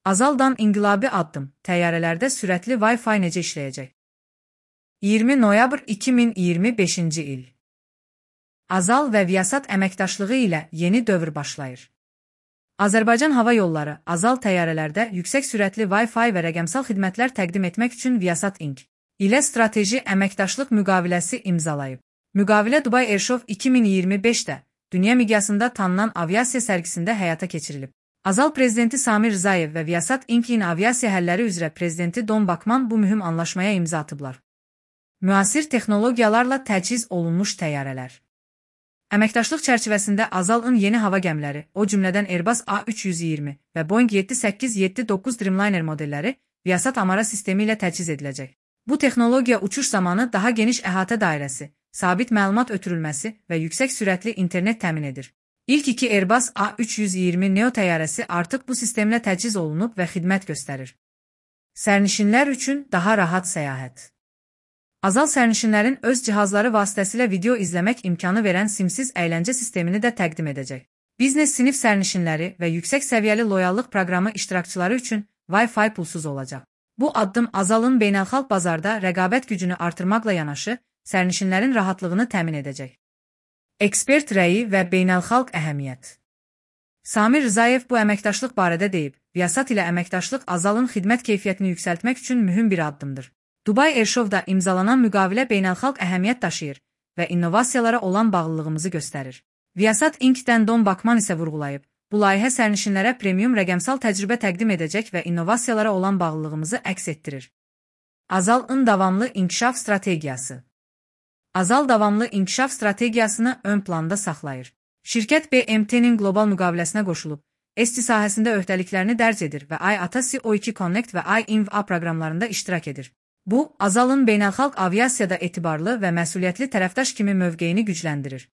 Azal'dan inqilabi addım, təyyarələrdə sürətli Wi-Fi necə işləyəcək? 20 noyabr 2025-ci il. Azal və Viasat əməkdaşlığı ilə yeni dövr başlayır. Azərbaycan Hava Yolları Azal təyyarələrdə yüksək sürətli Wi-Fi və rəqəmsal xidmətlər təqdim etmək üçün Viasat Inc. ilə strateji əməkdaşlıq müqaviləsi imzalayıb. Müqavilə Dubai Airshow 2025-də dünya miqyasında tanınan aviasiya sərgisində həyata keçirilib. Azal prezidenti Samir Rzayev və Viasat Inc.'in aviasiya həlləri üzrə prezidenti Don Bakman bu mühüm anlaşmaya imza atıblar. Müasir texnologiyalarla təchiz olunmuş təyyarələr. Əməkdaşlıq çərçivəsində Azal'ın yeni hava gəmiləri, o cümlədən Airbus A320 və Boeing 7879 Dreamliner modelləri Viasat Amara sistemi ilə təchiz ediləcək. Bu texnologiya uçuş zamanı daha geniş əhatə dairəsi, sabit məlumat ötürülməsi və yüksək sürətli internet təmin edir. İlk iki Airbus A320 Neo təyyarəsi artıq bu sistemlə təchiz olunub və xidmət göstərir. Sərnişinlər üçün daha rahat səyahət. Azal sərnişinlərin öz cihazları vasitəsilə video izləmək imkanı verən simsiz əyləncə sistemini də təqdim edəcək. Biznes sinif sərnişinləri və yüksək səviyyəli loyallıq proqramı iştirakçıları üçün Wi-Fi pulsuz olacaq. Bu addım Azal'ın beynəlxalq bazarda rəqabət gücünü artırmaqla yanaşı, sərnişinlərin rahatlığını təmin edəcək. Ekspert rəyi və beynəlxalq əhəmiyyət. Samir Rzayev bu əməkdaşlıq barədə deyib, Viasat ilə əməkdaşlıq Azal'ın xidmət keyfiyyətini yüksəltmək üçün mühüm bir addımdır. Dubai Airshow'da imzalanan müqavilə beynəlxalq əhəmiyyət daşıyır və innovasiyalara olan bağlılığımızı göstərir. Viasat Inc.'dən Don Bakman isə vurğulayıb, bu layihə sərnişinlərə premium rəqəmsal təcrübə təqdim edəcək və innovasiyalara olan bağlılığımızı əks etdirir. Azal'ın davamlı inkişaf strategiyası. Azal davamlı inkişaf strategiyasını ön planda saxlayır. Şirkət BMT-nin qlobal müqaviləsinə qoşulub, ESTI sahəsində öhdəliklərini dərc edir və IATA CO2 Connect və iInva proqramlarında iştirak edir. Bu, Azal'ın beynəlxalq aviasiyada etibarlı və məsuliyyətli tərəfdaş kimi mövqeyini gücləndirir.